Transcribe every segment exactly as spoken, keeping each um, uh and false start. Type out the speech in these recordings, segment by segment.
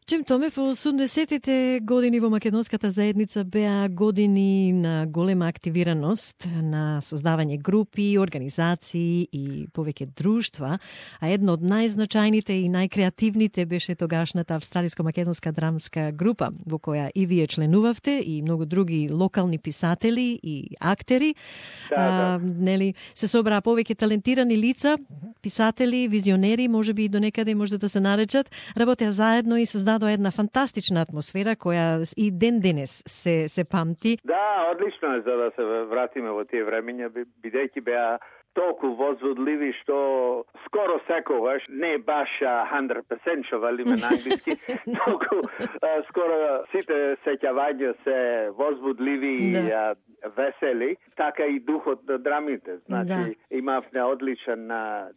Чим Томев, во осумдесетите години во македонската заедница беа години на голема активираност, на создавање групи, организации и повеќе друштва, а едно од најзначајните и најкреативните беше тогашната австралиско-македонска драмска група, во која и вие членувавте, и многу други локални писатели и актери. Да, а, да. Нели, се собраа повеќе талентирани лица, писатели, визионери, можеби и до некаде може да се наречат, работеа заедно и создадоа една фантастична атмосфера која и ден денес се се памти. Да, одлично е за да се вратиме во тие времења, бидејќи беа толку возводливи што скоро секогаш, не баш сто проценти што велиме на англиски, толку а, скоро сите сеќавања се возводливи и да. весели, така и духот на драмите. Значи, да. имавме одличен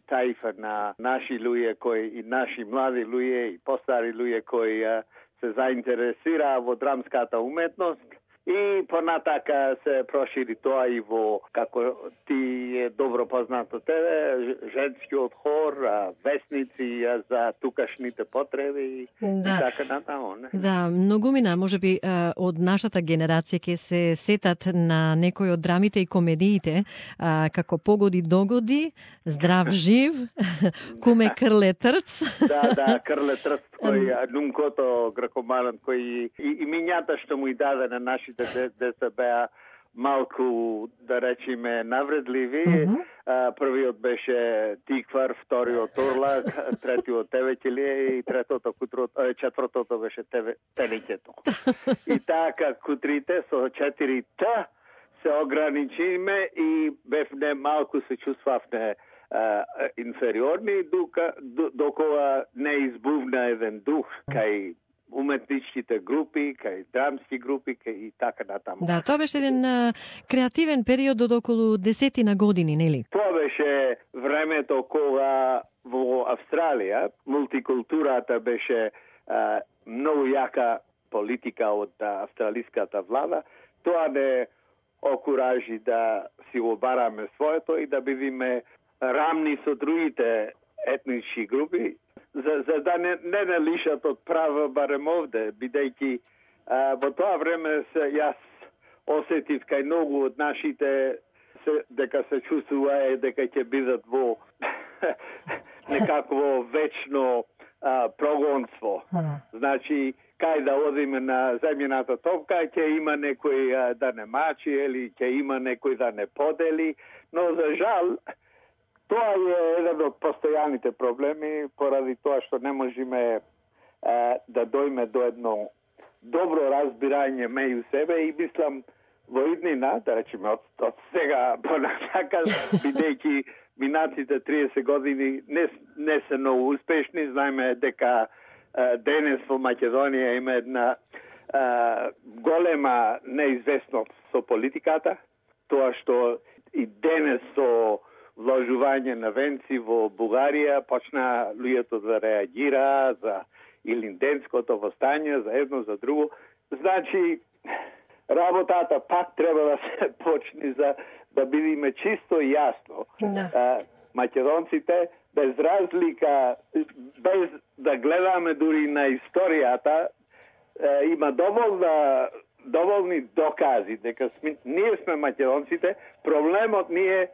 таифа на наши луѓе кои и наши млади луѓе и постари луѓе кои а, се заинтересираа во драмската уметност. И понатака се прошири тоа и во, како ти е добро познато тебе, женскиот хор, весници за тукашните потреби да. и така натаму. Да, многумина, можеби од нашата генерација ќе се сетат на некои од драмите и комедиите, како Погоди догоди, Здрав жив, Куме Крле трц. Да, да, Крле трц, кој Нумкото гракоманот, кој и, и минјата што му и даде на нашите деца беа малку, да речеме, навредливи. Uh-huh. А, првиот беше Тиквар, вториот Орлак, третиот Тевекелие и третото кутрот, четвртото беше тебе, Телеќето. И така кутрите со четири Т се ограничиме и бевне малку се чувствавне Uh, инфериорни, дока, докога не избувна еден дух кај уметничките групи, кај драмски групи, кај и така натаму. Да, тоа беше еден uh, креативен период од околу десетина години, нели? Тоа беше времето кога во Австралија мултикултурата беше uh, многу јака политика од uh, австралиската влада. Тоа не окуражи да си обараме своето и да бидеме рамни со другите етнички групи, за, за да не, не не лишат од права барем овде, бидејќи а, во тоа време се, јас осетив кај многу од нашите се, дека се чувствува дека ќе бидат во некакво вечно а, прогонство. Значи, кај да одиме на земјината топка, ќе има некој а, да не мачи или ќе има некој да не подели, но за жал тоа е еден од постојаните проблеми, поради тоа што не можеме е, да дојме до едно добро разбирање меѓу себе и мислам во иднина, да речеме од, од сега понатака, бидејќи минатите триесет години не, не се многу успешни, знаеме дека е, денес во Македонија има една е, голема неизвестност со политиката, тоа што и денес со вложување на венци во Бугарија, почна луѓето да реагира за Илинденското востање, за едно, за друго. Значи, работата пак треба да се почне за да бидеме чисто и јасно. Да. Македонците, без разлика, без да гледаме дури на историјата, има доволна, доволни докази дека сме, ние сме македонците, проблемот ни е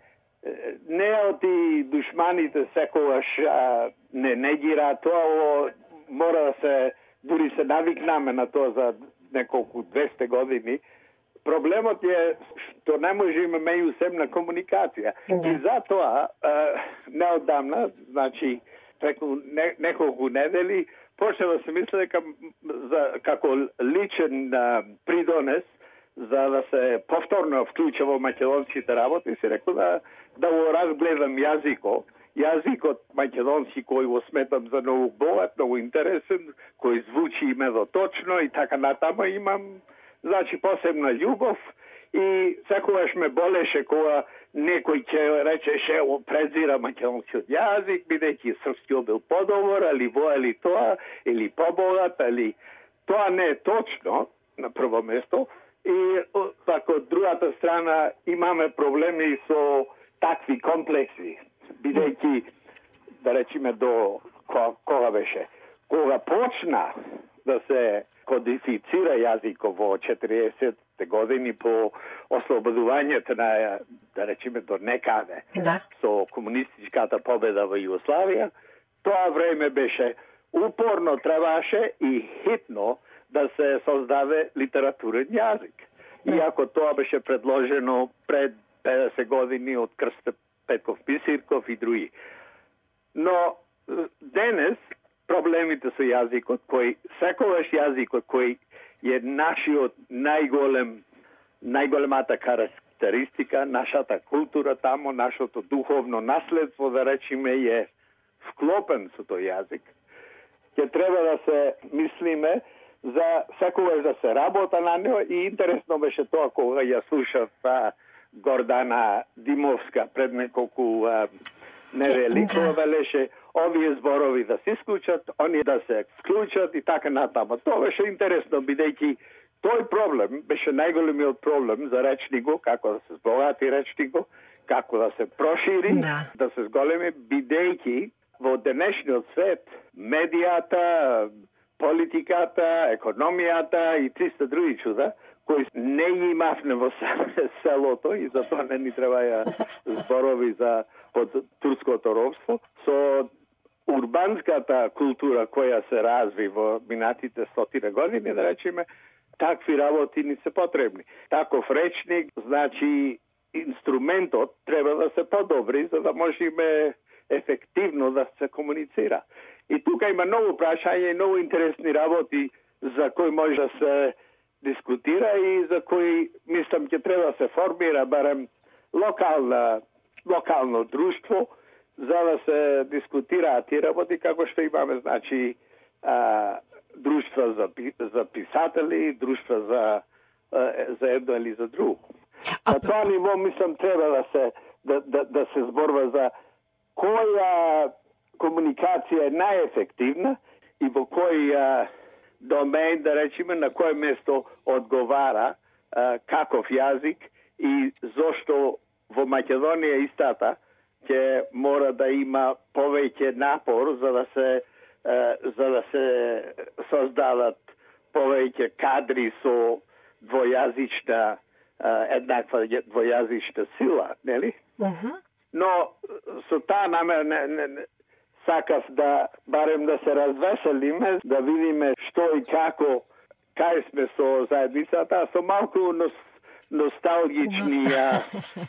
не од и душманите секогаш а, не негира тоа, мора да се, дури се навикнаме на тоа за неколку двесте години. Проблемот е што не можеме меѓусебна комуникација. Да. И затоа, а, неодамна, значи, преку не, неколку недели, почне да се мисли дека за, како личен а, придонес, за да се повторно вклуча во македонските работи, си рекол да, да го разгледам јазико. Јазикот македонски кој го сметам за многу богат, многу интересен, кој звучи медоточно и така натаму имам, значи, посебна љубов и секогаш ме болеше кога некој ќе речеше презира македонскиот јазик, бидејќи српскиот бил подобар, или во или тоа, или побогат, или тоа не е точно на прво место. И така од другата страна имаме проблеми со такви комплекси, бидејќи, да речеме, до кога, кога беше, кога почна да се кодифицира јазикот во четириесетте години по ослободувањето на, да речеме, до некаде, да, со комунистичката победа во Југославија. Тоа време беше упорно требаше и хитно да се создаде литературен јазик. Иако тоа беше предложено пред педесет години од Крсте Петков Писирков и други. Но денес проблемите со јазикот, кој секогаш јазикот кој е нашиот најголем најголемата карактеристика, нашата култура тамо, нашето духовно наследство, да речеме, е вклопен со тој јазик. Ќе треба да се мислиме за секогаш да се работа на него и интересно беше тоа кога ја слушав а, Гордана Димовска пред неколку а, недели, кога велеше овие зборови да се исклучат, они да се вклучат и така натаму. Тоа беше интересно, бидејќи тој проблем беше најголемиот проблем за речникот, како да се збогати речникот, како да се прошири, да, да се зголеми, бидејќи во денешниот свет медијата, политиката, економијата и триста други чуда, кои не имавме во селото и затоа не ни требаја зборови за под турското робство, со урбанската култура која се разви во минатите стотина години, да речеме, такви работи ни се потребни. Таков речник, значи, инструментот треба да се подобри, за да можеме ефективно да се комуницира. И тука има многу прашања и многу интересни работи за кои може да се дискутира и за кои, мислам, ќе треба да се формира барем локална, локално друштво, за да се дискутираат тие работи, како што имаме, значи, а, друштва за, за писатели, друштва за, а, за едно или за друго. На тоа ниво, мислам, треба да се, да, да, да се зборва за која комуникација е најефективна и во кој а, домен, да речеме, на кој место одговара а, каков јазик и зошто во Македонија истата ќе мора да има повеќе напор за да се а, за да се создадат повеќе кадри со двојазична а, еднаква двојазична сила, нели? Uh-huh. Но со таа намер не, не, не, сакав да барем да се развеселиме, да видиме што и како, кај сме со заедницата, со малку нос, носталгични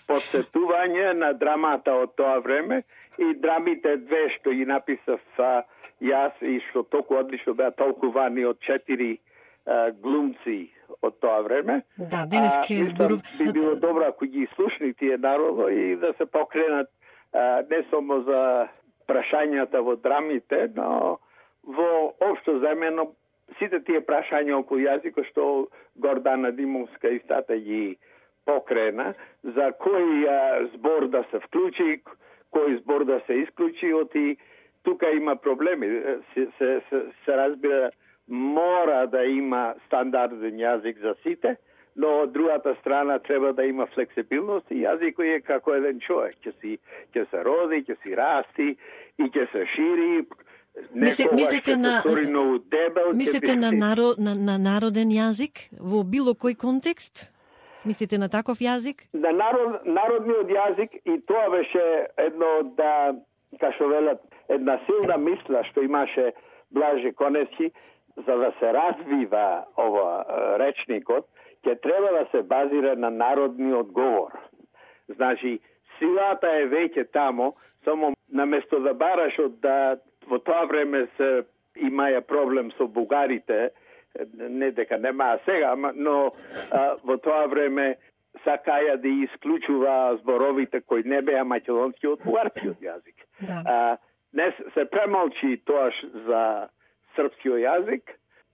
посетување на драмата од тоа време и драмите две што ги написав а, јас и што толку одлично беа толкувани од четири а, глумци од тоа време. Да, денес ке збору... би било добро ако ги слушни тие народо и да се покренат а, не само за прашањата во драмите, но во општо земено сите тие прашања околу јазикот што Гордана Димовска истата ги покрена, за кој а, збор да се вклучи, кој збор да се исклучи, оти тука има проблеми. Се, се, се, се разбира, мора да има стандарден јазик за сите, но од другата страна треба да има флексибилност и јазикот е како еден човек. Ќе си ќе се роди, ќе си расти и ќе се шири. Мислите, мислите на дебел, мислите на, наро, на на народен јазик во било кој контекст? Мислите на таков јазик? На народ, народниот јазик и тоа беше едно да, како велат, една силна мисла што имаше Блаже Коневски, за да се развива ова речникот, ќе треба да се базира на народниот говор. Значи, силата е веќе тамо, само наместо да бараш од да во тоа време се имаја проблем со бугарите, не дека немаа сега, но а, во тоа време сакаја да исклучува зборовите кои не беа македонски од бугарскиот јазик. Да. А, не се премолчи тоа за српскиот јазик,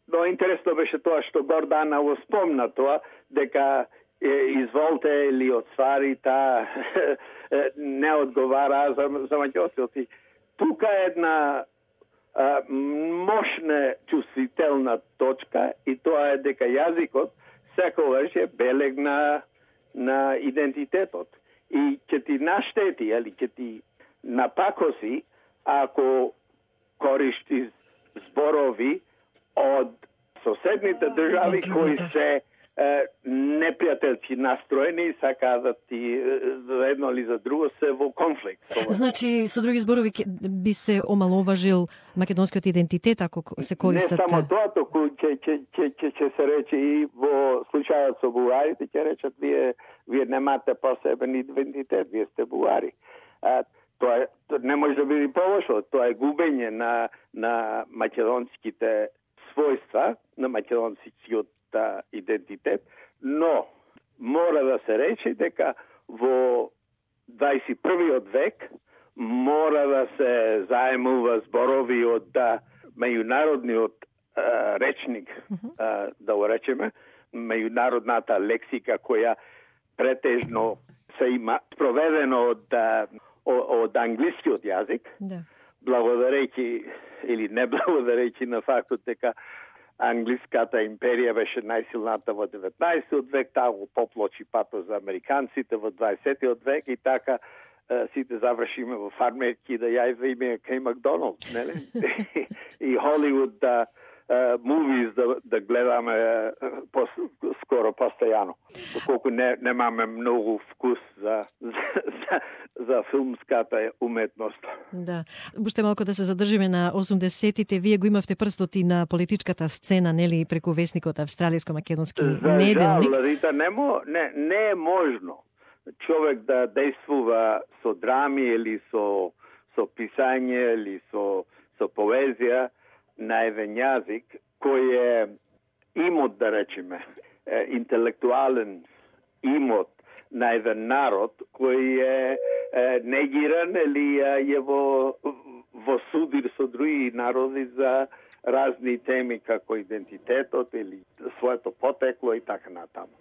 но интересно беше тоа што Гордана го спомна тоа, дека е, изволте или отствари та не одговара за, за македонци. Тука е една а, мощна чувствителна точка и тоа е дека јазикот секогаш е белег на, на идентитетот. И ќе ти наштети, или ќе ти напакоси ако користиш зборови од соседните држави кои се е, непријателски настроени и сакаат и за едно или за друго се во конфликт. Значи, со други зборови, би се омаловажил македонскиот идентитет ако се користат... Не само тоа, току ќе ќе ќе ќе ќе се рече и во случајот со бугарите ќе речат вие вие немате посебен идентитет, вие сте бугари. А, тоа е, не може да биде полошо, тоа е губење на на македонските својства, на македонскиот идентитет, но мора да се рече дека во дваесет и првиот век мора да се заемува зборови од меѓународниот а, речник, а, да го речеме, меѓународната лексика која претежно се има проведено од од англискиот јазик, да. Благодарејќи или не благодарејќи на фактот дека англиската империја беше најсилната во деветнаесеттиот век, таа го поплочи патот за американците во дваесеттиот век и така е, сите завршиме во фармерки да јајде име кај Макдоналд, нели? И Холивуд да movies да, да гледаме uh, пос, скоро постојано. Колку не немаме многу вкус за за, за филмската уметност. Да. Уште малку да се задржиме на осумдесетите. Вие го имавте прстот и на политичката сцена, нели, преку весникот Австралиско-македонски неделник. За жал, не, мо, не, не е можно човек да действува со драми или со со писање или со со поезија на еден јазик кој е имот, да речеме, интелектуален имот на еден народ кој е, е негиран или е во, во судир со други народи за разни теми како идентитетот или своето потекло и така натаму.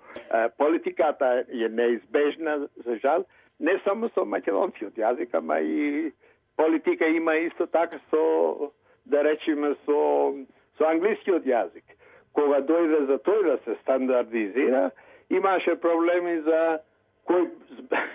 Политиката е неизбежна, за жал, не само со македонскиот јазик, ама и политика има исто така со, да речеме, со со англискиот јазик. Кога дојде за тој да се стандардизира, имаше проблеми за кој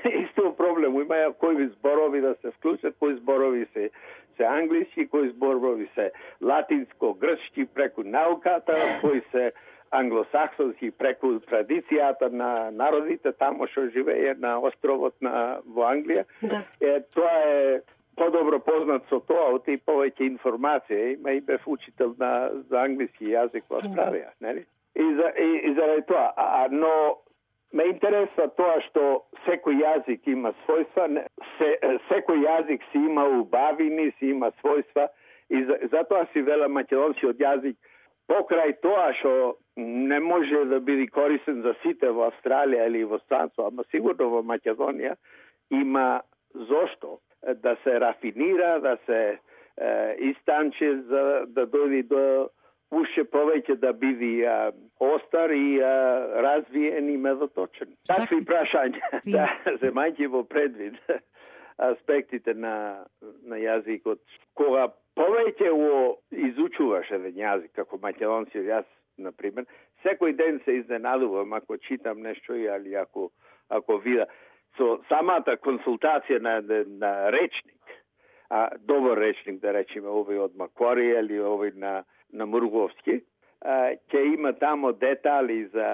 исто проблем, има кои зборови да се вклучат, кои зборови се се англиски, кои зборови се латинско-грчки преку науката, кои се англосаксонски преку традицијата на народите тамо што живее на островот на во Англија. Да. Е, тоа е подобро познат со тоа, од и повеќе информација, има и бев учител на за англиски јазик во Австралија, нели? И за и, и заради тоа, а, но ме интересува тоа што секој јазик има својства, се, секој јазик си има убавини, си има својства и за, затоа си вела македонскиот јазик покрај тоа што не може да биде корисен за сите во Австралија или во странство, ама сигурно во Македонија има зошто да се рафинира, да се е, истанче за да дојде до уште повеќе да биде а, остар и а, развиен и медоточен. Такви прашања, да, земајќи во предвид аспектите на, на јазикот. Кога повеќе го изучуваш еден јазик, како македонски, јас, например, секој ден се изненадувам ако читам нешто или ако, ако вида. Со самата консултација на, на речник, а, добар речник, да речеме, овој од Макварија или овој на, на Мурговски, ќе има тамо детали за,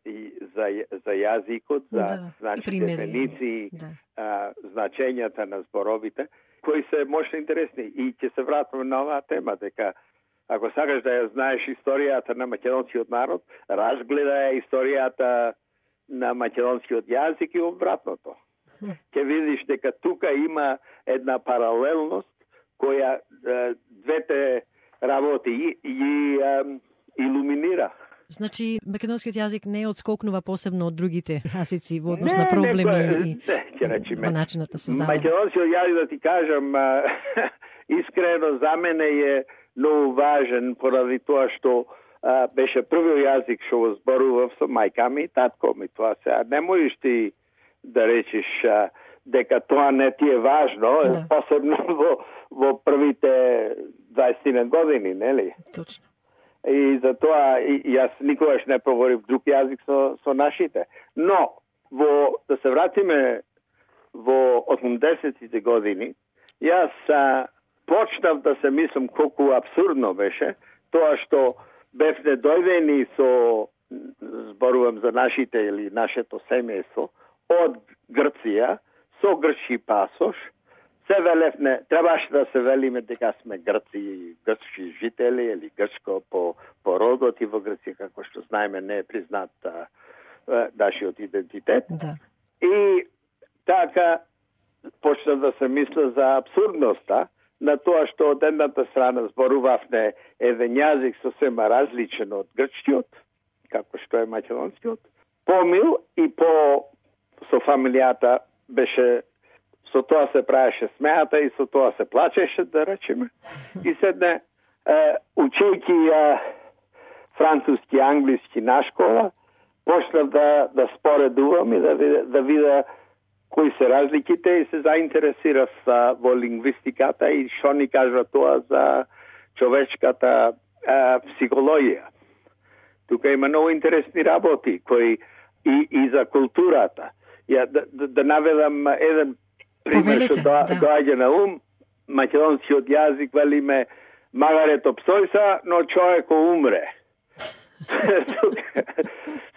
и, за, за јазикот, за да, значи, дефиниции, да. а, значењата на зборовите, кои се можно интересни. И ќе се вратиме на оваа тема, дека ако сакаш да ја знаеш историјата на македонскиот народ, разгледа ја историјата на македонскиот јазик и обратното. Ќе видиш дека тука има една паралелност која е, двете работи и, и е, илуминира. Значи, македонскиот јазик не одскокнува посебно од другите јазици во однос на проблеми не, и, не, во начинот на создавање. Македонскиот јазик, да ти кажам, искрено за мене е многу важен поради тоа што а, беше првиот јазик што го зборував со мајка ми и татко ми. Тоа сега не можеш ти да речеш а, дека тоа не ти е важно, да. Посебно во, во првите дваесет години, нели? Точно. И за тоа и, јас никогаш не проговорив друг јазик со, со нашите. Но, во, да се вратиме во осумдесетите години, јас а, почнав да се мислам колку абсурдно беше тоа што бевне дојдени со, зборувам за нашите или нашето семејство, од Грција, со грчки пасош, се велевне, требаше да се велиме дека сме грци, грчки жители или грчко по, по родот и во Грција, како што знаеме, не е признат а, а, нашиот идентитет. Да. И така почна да се мисля за абсурдноста на тоа што од едната страна зборувавме еден јазик сосема различен од грчкиот, како што е македонскиот, помил и по со фамилијата беше, со тоа се правеше смеата и со тоа се плачеше, да речеме. И седне, е, учејќи ја француски, англиски на школа, почнав да, да споредувам и да видя, да видя кои се разликите и се заинтересирав а, во лингвистиката и што ни кажа тоа за човечката а, психологија. Тука има многу интересни работи кои и, и за културата. Ја да, да, да наведам еден пример што да, да. доаѓа на ум. Македонскиот јазик велиме магарето псојса, но човеко умре.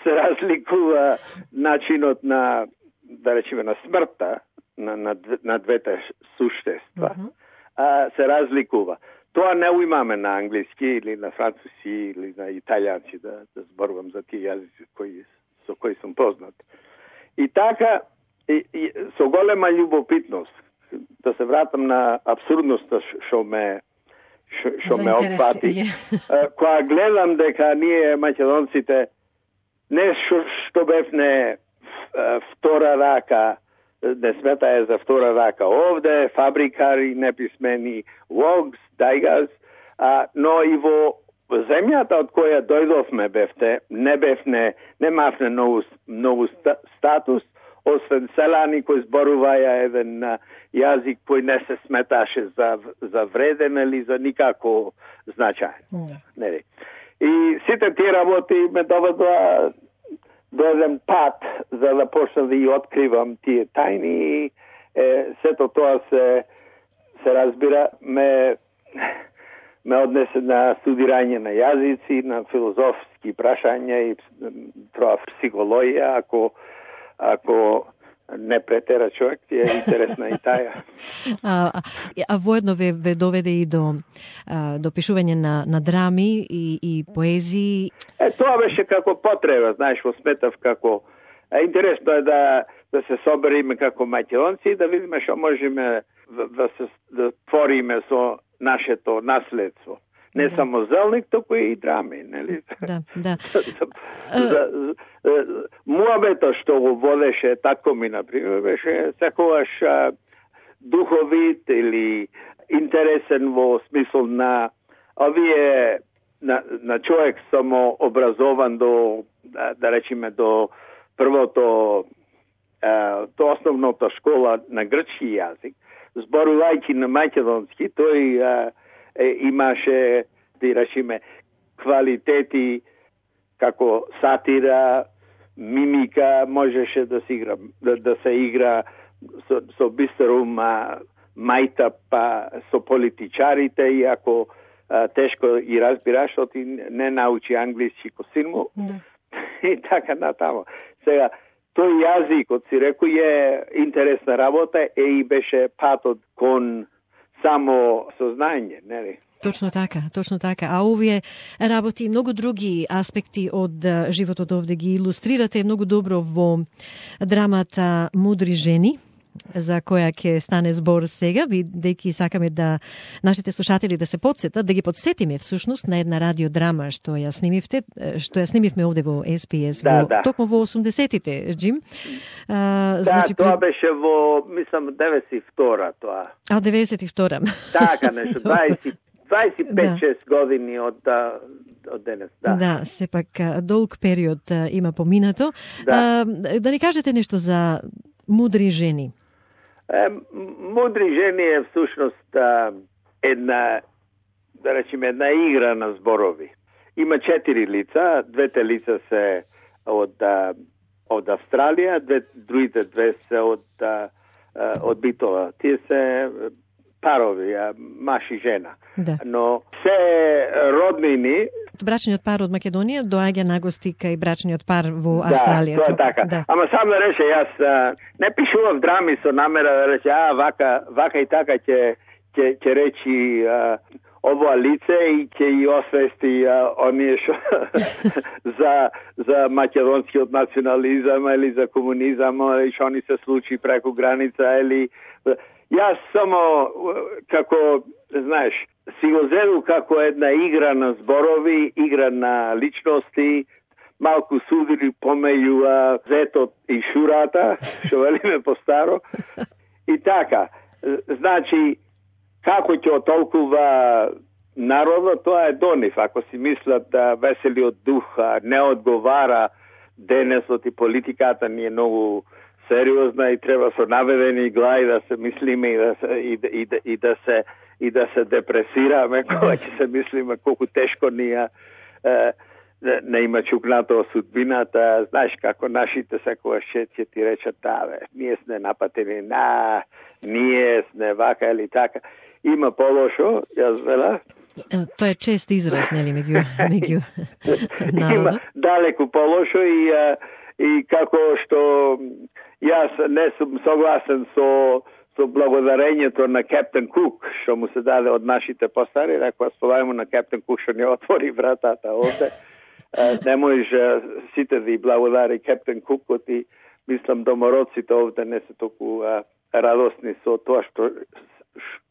Се разликува начинот на, да речеме, на смртта на, на, на двете суштества. Uh-huh. а, се разликува. Тоа не имаме на англиски или на француски или на италијанци, да, да зборувам за тие јазици кои, со кои сум познат. И така, и, и, со голема љубопитност, да се вратам на абсурдноста што ме што ме опфати. Кога гледам дека ние македонците не што, што бевне втора рака, не сметае за втора рака овде, фабрикари, неписмени, логс, дајгаз, а, но и во земјата од која дојдовме бевте, не бевне, немавне многу, многу статус, освен селани кои зборуваја еден а, јазик кој не се сметаше за, за вреден или за никако значаен. Mm. Не. И сите тие работи ме доведоа до еден пат за да почна да ги откривам тие тајни. Е, сето тоа се, се разбира, ме, ме однесе на студирање на јазици, на филозофски прашања и тоа психологија, ако ако не претера човек, ти е интересна и таја. А, а, а воедно ве, ве доведе и до, а, до пишување на, на драми и, и поезии? Е, тоа беше како потреба, знаеш, во сметав како... Е, интересно е да, да се собериме како македонци и да видиме што можеме да, да се да твориме со нашето наследство. Не да. Само зелник, току и драми, нели? Да, да. Муабето што го водеше тако ми, например, беше секогаш духовит или интересен во смисол на овие на, на човек само образован до, да, да речеме, до првото до основната школа на грчки јазик, зборувајќи на македонски, тој а, е, имаше, да речеме, квалитети како сатира, мимика, можеше да се игра, да, да се игра со, со бистер ум, мајта па со политичарите, и ако а, тешко и разбираш, што ти не научи англиски ко син му, mm. и така натамо. Сега, тој јазикот, си реку, е интересна работа, е и беше патот кон само сознање, нели? Точно така, точно така. А овие работи и многу други аспекти од животот овде ги илустрирате многу добро во драмата Мудри жени, за која ќе стане збор сега, бидејќи сакаме да нашите слушатели да се подсетат, да ги подсетиме всушност на една радиодрама што ја снимивте, што ја снимивме овде во Ес Би Ес, да, во, да. токму во осумдесетите, Джим. А, да, значи, тоа пред... беше во, мислам, деветдесет и втора тоа. А, деветдесет и втора. Така, нешто, дваесет дваесет и пет шест да. години од, од денес, да. Да, сепак долг период има поминато. Да, а, да ни кажете нешто за Мудри жени. Е, Мудри жени е всушност една, да речеме, една игра на зборови. Има четири лица, двете лица се од, од Австралија, две, другите две се од, од Битола. Тие се парови, маж и жена. Да. Но се роднини, Брачниот пар од Македонија доаѓа нагости кај брачниот пар во Да, Австралија. тоа е така. Да. Ама само да рече, јас а, не пишував драми со намера да рече, а, вака, вака и така ќе ќе ќе речи а, ова лице и ќе ја освести а, оние шо за за македонскиот национализам или за комунизам или што ни се случи преку граница или јас само како знаеш си го зеду како една игра на зборови, игра на личности, малку судили помеѓу зетот и шурата, што велиме по старо. И така, значи како ќе отолкува народот, тоа е до нив. Ако си мислат да веселиот дух не одговара денесот и политиката ни е многу сериозна и треба со наведени глави да се мислиме и да се, и, и, и, и да се и да се депресираме кога ќе се мислиме колку тешко ни е, е не има чукнато судбината. Знаеш како нашите секогаш ќе ти речат, да бе, ние сме напатени, на, ние сме вака или така. Има полошо, јас вела. Тоа е чест израз, нели, меѓу меѓу народот. Има далеку полошо и и како што јас не сум согласен со со благодарењето на Кептен Кук, што му се даде од нашите постари, рекоа спомајмо на Кептен Кук што не отвори вратата овде. Не можеш сите да и благодари Кептен Кукот и мислам домороците овде не се толку радосни со тоа што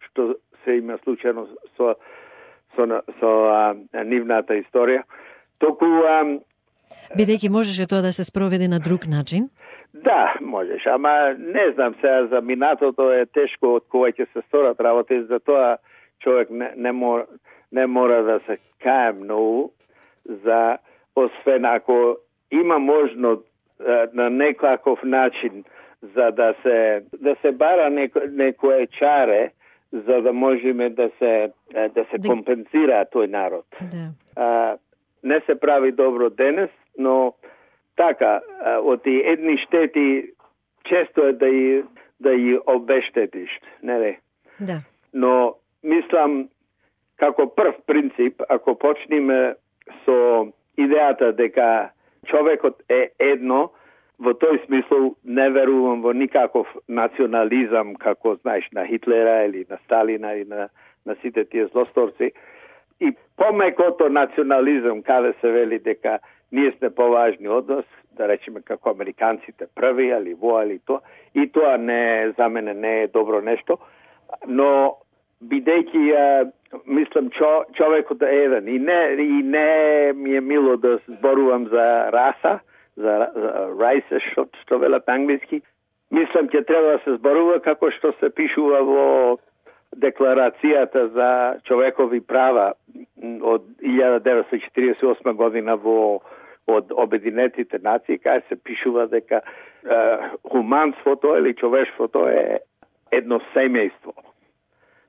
што се има случајно со со со а, нивната историја. Току а, бидејќи можеше тоа да се спроведе на друг начин? Да, можеш, ама не знам сега за минатото е тешко од кога ќе се сторат работи, затоа човек не, не мора не мора да се кае многу за освен ако има можно на некаков начин за да се да се бара неко, некое чаре за да можеме да се да се да... компензира тој народ. Да. А, не се прави добро денес, но така, од тие едни штети често е да и да и обештетиш, нели? Да. Но мислам како прв принцип, ако почнеме со идејата дека човекот е едно, во тој смисол не верувам во никаков национализам, како знаеш на Хитлера или на Сталина или на, на сите тие злосторци. И помекото национализам, каде се вели дека ние сме поважни од нас, да речеме како американците први, али во, али тоа. И тоа не, за мене не е добро нешто, но бидејќи мислам чо, човекот е еден и не и не ми е мило да зборувам за раса, за, за race, што, што велат англиски. Мислам ќе треба да се зборува како што се пишува во Декларацијата за човекови права од илјада деветстотини четиридесет и осма година во од Обединетите нации, кај се пишува дека е, хуманството или човештвото е едно семејство.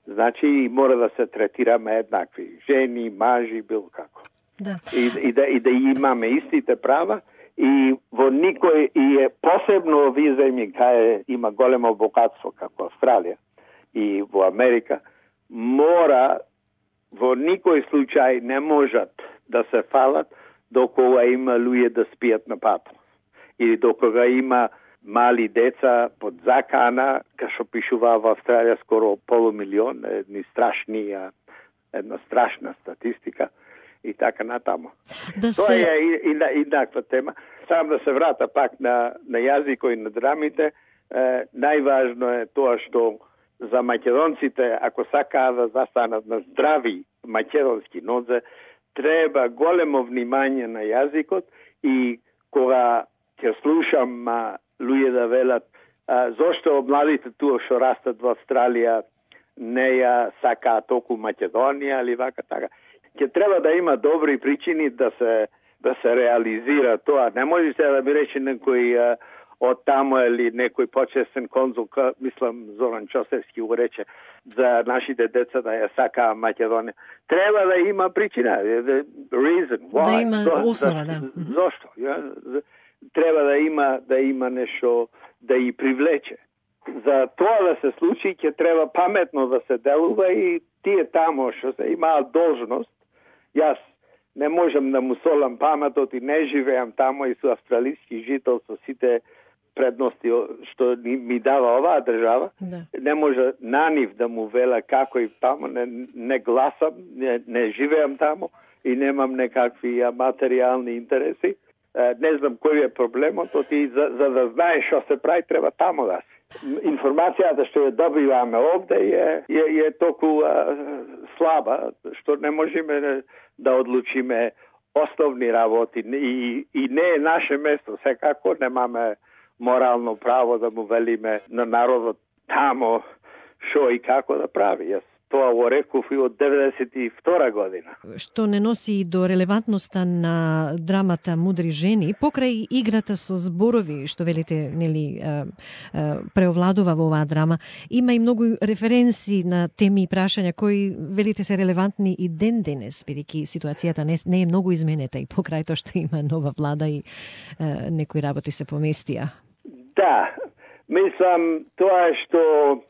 Значи мора да се третираме еднакви, жени, мажи, било како. Да. И, и, да, и да имаме истите права и во никој и е посебно овие земји кај има големо богатство како Австралија и во Америка, мора во никој случај не можат да се фалат докога има луѓе да спијат на пат. Или докога има мали деца под закана, кај што пишува во Австралија скоро полумилион, едни страшни, една страшна статистика и така натаму. Да Тоа се... е еднаква тема. Сам да се врата пак на, на јазикот и на драмите, е, најважно е тоа што за македонците, ако сакаат да застанат на здрави македонски нозе, треба големо внимание на јазикот и кога ќе слушам а, луѓе да велат а, зошто младите туа што растат во Австралија не ја сакаат толку Македонија или вака така. Ќе треба да има добри причини да се да се реализира тоа. Не може се да ми рече некој а, од таму или некој почесен конзул, мислам Зоран Чосевски го рече за нашите деца да ја сакаа Македонија. Треба да има причина, reason, why. Да има Зо, основа, да. Зошто? Ја? Треба да има да има нешто да и привлече. За тоа да се случи ќе треба паметно да се делува и тие таму што се имаат должност. Јас не можам да му солам паметот и не живеам тамо и со австралиски жител со сите предности што ми дава оваа држава. Да. Не може на нив да му вела како и тамо, не, не гласам, не, не живеам тамо и немам некакви материјални интереси. Не знам кој е проблемот, и за, за да знаеш што се прави, треба тамо да си. Информацијата што ја добиваме овде е, е, е толку а, слаба, што не можеме да одлучиме основни работи и, и не е наше место. Секако немаме морално право да му велиме на народот тамо што и како да прави. Јас тоа го реков и од деветдесет и втора година. Што не носи до релевантноста на драмата Мудри жени, покрај играта со зборови, што велите, нели, преовладува во оваа драма, има и многу референси на теми и прашања кои велите се релевантни и ден денес, бидејќи ситуацијата не, не е многу изменета и покрај тоа што има нова влада и е, некои работи се поместија. Да, мислам тоа што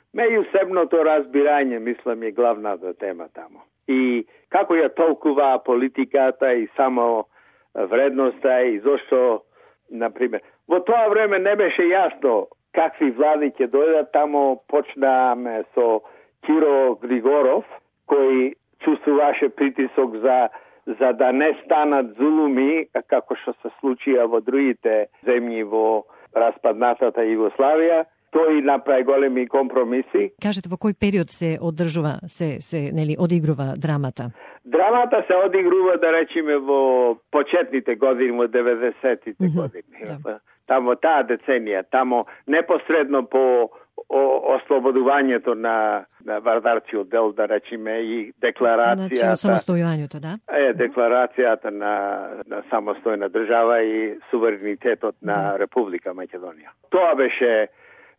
меѓусебното разбирање, мислам, е главната тема тамо. И како ја толкува политиката и само вредноста и зошто, например, во тоа време не беше јасно какви влади ќе дојдат. Тамо почнаме со Киро Григоров, кој чувствуваше притисок за за да не станат зулуми, како што се случија во другите земји во распаднатата Југославија. Тој направи големи компромиси. Кажете, во кој период се одржува, се, се нели, одигрува драмата? Драмата се одигрува, да речеме, во почетните години, во деветдесетите mm-hmm. години. Да. Тамо таа деценија, тамо непосредно по ослободувањето на, на вардарциот дел, да речеме, и декларацијата... Значи, самостојувањето, да? Е, декларацијата на, на самостојна држава и суверенитетот на да. Република Македонија. Тоа беше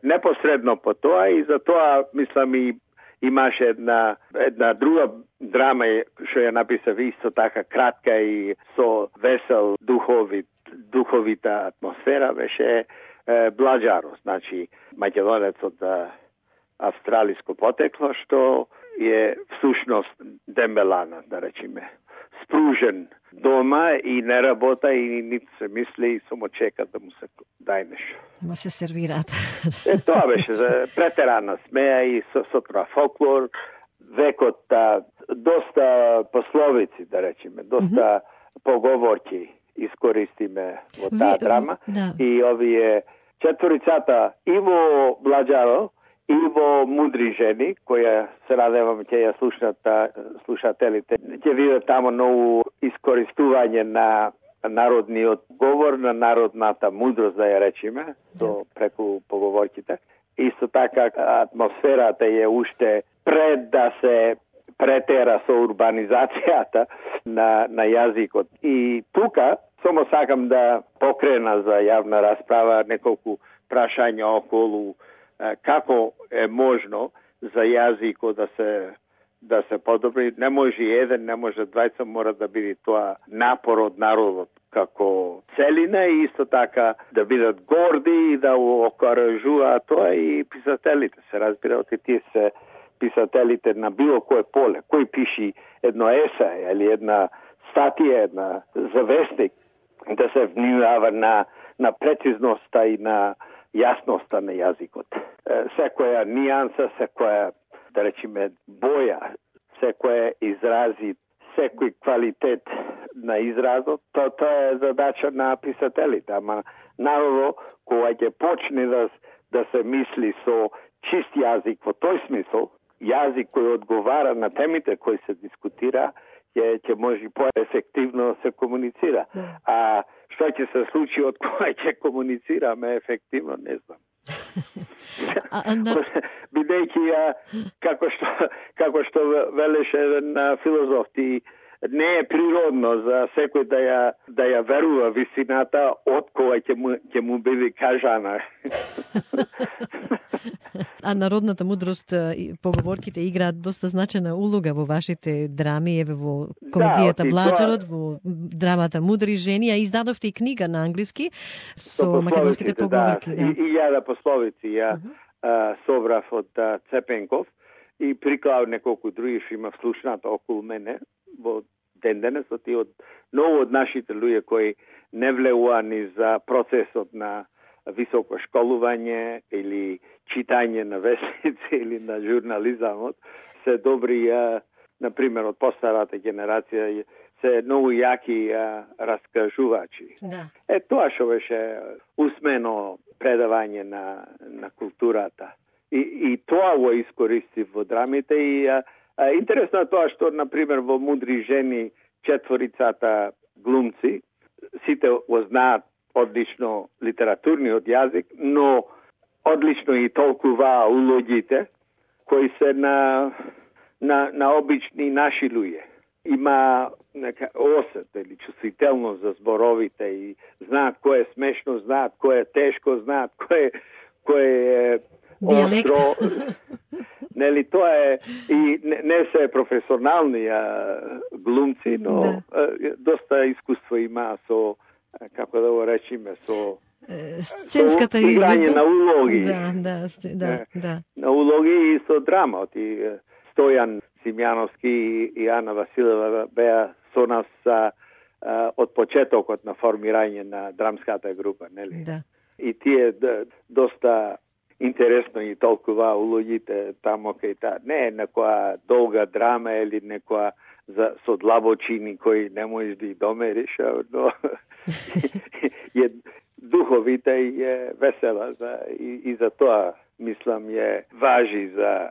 непосредно по тоа и за тоа, мислам, и имаше една, една друга драма што ја написав исто така кратка и со весел духовит, духовита атмосфера, беше е, Бладжаро, значи македонец од австралиско потекло, што е всушност дембелана, да речеме, спружен дома и не работа и нито се мисли и само чека да му се дај нешто. Му се сервираат. Е, тоа беше за претерана смеја и со, со тоа фолклор, векот, а, доста пословици, да речеме, доста mm-hmm. поговорки искористиме во таа Ви... драма. Да. И овие четворицата и во Бладжаро, и во Мудри жени, која се надевам ќе ја слушнат слушателите, ќе видат тамо ново искористување на народниот говор, на народната мудрост, да ја речеме, со преку поговорките. Исто така атмосферата е уште пред да се претера со урбанизацијата на, на јазикот. И тука само сакам да покрена за јавна расправа неколку прашања околу како е можно за јазикот да се да се подобри. Не може еден, не може двајца, мора да биде тоа напор од народот како целина и исто така да бидат горди и да окоражуваат тоа и писателите. Се разбира, оти тие се писателите на било кое поле. Кој пиши едно есе или една статија, една завестник, да се внимава на, на прецизноста и на јасноста на јазикот. Секоја нијанса, секоја, да речеме, боја, секоја изрази, секој квалитет на изразот, то тоа е задача на писателите. Ама народо, кога ќе почне да, да се мисли со чист јазик во тој смисол, јазик кој одговара на темите кои се дискутира, ќе ќе може поефективно се комуницира. А што ќе се случи од кога ќе комуницираме ефективно, не знам. Бидејќи како што како што велеше еден филозоф, ти не е природно за секој да ја да ја верува висината од кога ќе му ќе му биде кажана. А народната мудрост, поговорките играат доста значена улога во вашите драми, еве во комедијата да, Бладжарот, во драмата Мудри жени, а издадовте и книга на англиски со, со македонските поговорки. Да, да. И, и ја да пословици, ја uh-huh. а, собрав од Цепенков и приклав неколку други што има вслушнато околу мене во ден денес, оти од многу од нашите луѓе кои не влеува ни за процесот на високо школување или читање на вестници или на журнализамот, се добри, на пример, од постарата генерација, се многу јаки а, раскажувачи. Да. Е, тоа што беше усмено предавање на, на културата. И, и тоа го искористив во драмите. И а, а, интересно е тоа што, на пример, во Мудри жени четворицата глумци, сите го знаат одлично литературниот јазик, но одлично и толкува улогите кои се на, на, на обични наши луѓе. Има нека осет или чувствителност за зборовите и знаат кој е смешно, знаат кој е тешко, знаат кој, кој е остро. Нели, тоа е и не, не се професионални а, глумци, но да. а, доста искуство има со, како да го речиме, со сценската играње на улоги. Да, да, да, да. На улоги и со драма. И Стојан Симјановски и Ана Василева беа со нас а, а, од почетокот на формирање на драмската група, нели? Да. И тие да, доста интересно и толкова улогите тамо кај та. Не е некоја долга драма или некоја за со длабочини кои не можеш да ги домериш, но е духовите и е весела за, и, и за тоа мислам е важи за,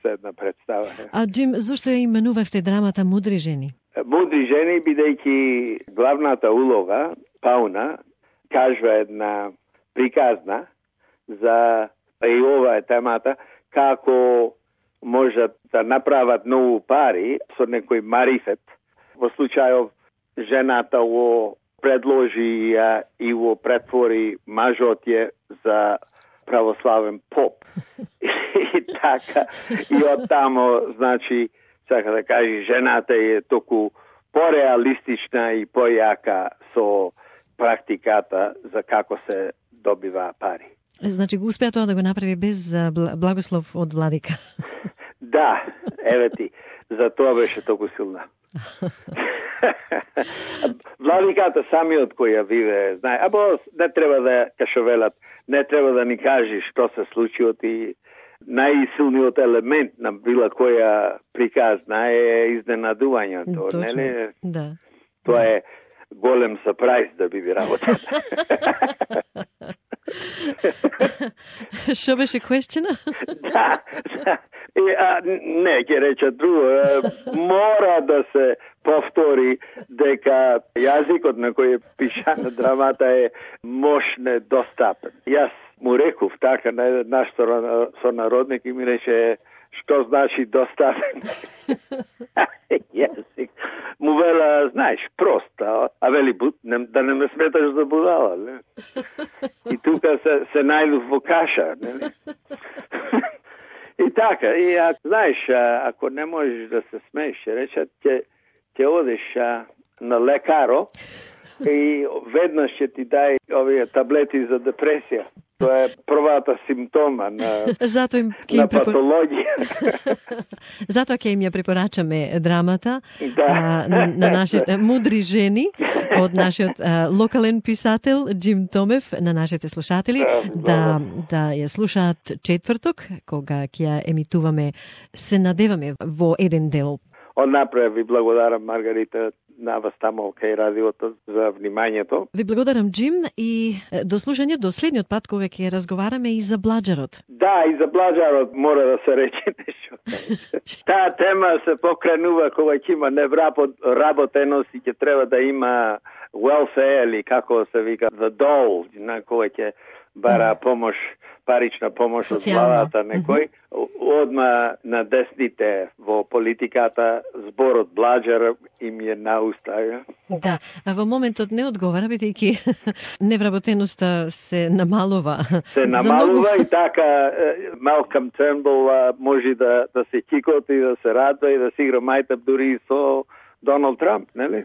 за една представа. А Джим, зошто ја именувавте драмата Мудри жени? Мудри жени, бидејќи главната улога, Пауна, кажува една приказна за, и ова е темата, како можат да направат многу пари со некој марифет. Во случајов жената го предложи а, и го претвори мажот е за православен поп. И така, и од тамо, значи, сака да кажи, жената е току пореалистична и појака со практиката за како се добива пари. Значи, го успеа тоа да го направи без благослов од владика. Да, еве ти, за тоа беше толку силна. Владиката самиот кој ја виве, знае, або не треба да кашовелат, не треба да ни кажи што се случи, и најсилниот елемент на била која приказна е изненадувањето, нели? Да. Тоа е голем сапрајз да биде работата. Што беше question? Да, да. И, а, не, ќе рече друго. Мора да се повтори дека јазикот на кој е пишана драмата е мощне достапен. Јас му реков така на еден наш сонародник и ми рече што значи достапен. Јазик. Му вела, знаеш, проста, а вели да не ме сметаш за будала, не? И тука се, се најдов во каша, не? И така, и а, знаеш, а, ако не можеш да се смееш, речат, ќе, ќе одеш а, на лекаро и веднаш ќе ти дај овие таблети за депресија. Тоа е првата симптома на, Зато им, на им препор... патологија. Затоа ќе им ја препорачаме драмата Да. а, на нашите мудри жени од нашиот а, локален писател Джим Томев, на нашите слушатели да, да ја слушаат четврток, кога ќе ја емитуваме, се надеваме во еден дел. Однапред ви благодарам, Маргарита, на вас тамо кај радиото за внимањето. Ви благодарам, Джим, и до слушање до следниот пат кога ќе разговараме и за бладжарот. Да, и за бладжарот мора да се рече нешто. Таа тема се покренува кога ќе има невработеност и ќе треба да има welfare или како се вика the dole, на кога ќе бара помош, парична помош од владата некој. Одма на десните во политиката зборот бладжар им е на уста. Да, а во моментот не одговара, бидејќи невработеноста се намалува. Се намалува многу... и така Малком Тернбул може да, да се кикоти, да се радва и да си игра мајтап дури со Доналд Трамп, нели?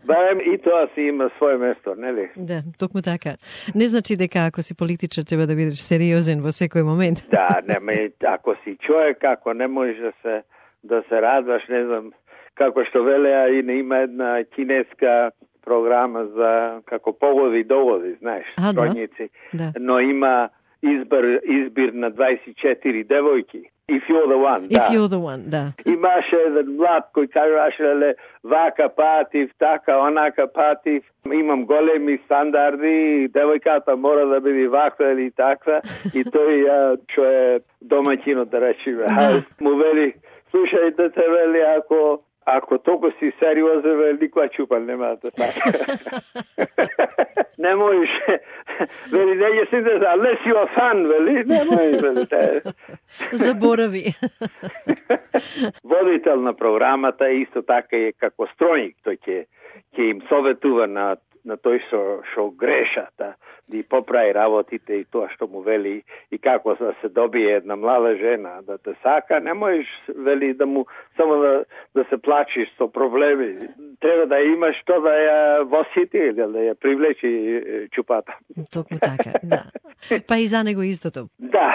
Барем и тоа си има свое место, нели? Да, токму така. Не значи дека ако си политичар треба да бидеш сериозен во секој момент. Да, не, ме, ако си човек, ако не можеш да се да се радваш, не знам како што велеа и не има една кинеска програма за како погоди догоди, знаеш, а, стројници. Да. Но има избор избир на дваесет и четири девојки. If you're the one, If да. you're the one, да. Имаше еден млад кој кажаше, ле, вака патив, така, онака патив, имам големи стандарди, девојката мора да биде ваква или таква, и тој, а, што е домаќинот, да речеме, Да. му вели, слушај, дете, вели, ако Ако толку си сериозен, вели, никоја чупан нема да така. Не можеш, вели, не ќе си да, unless you are fun, вели, не можеш, вели. Заборави. Водител на програмата исто така е како стројник, тој ќе ќе им советува на на тој што што греша, да да поправи работите и тоа што му вели и како да се добие една млада жена да те сака, не можеш вели да му само да да се плачиш со проблеми. Треба да имаш што да ја восити, да ја привлечи чупата. Токму така, да. Па и за него истото. Да,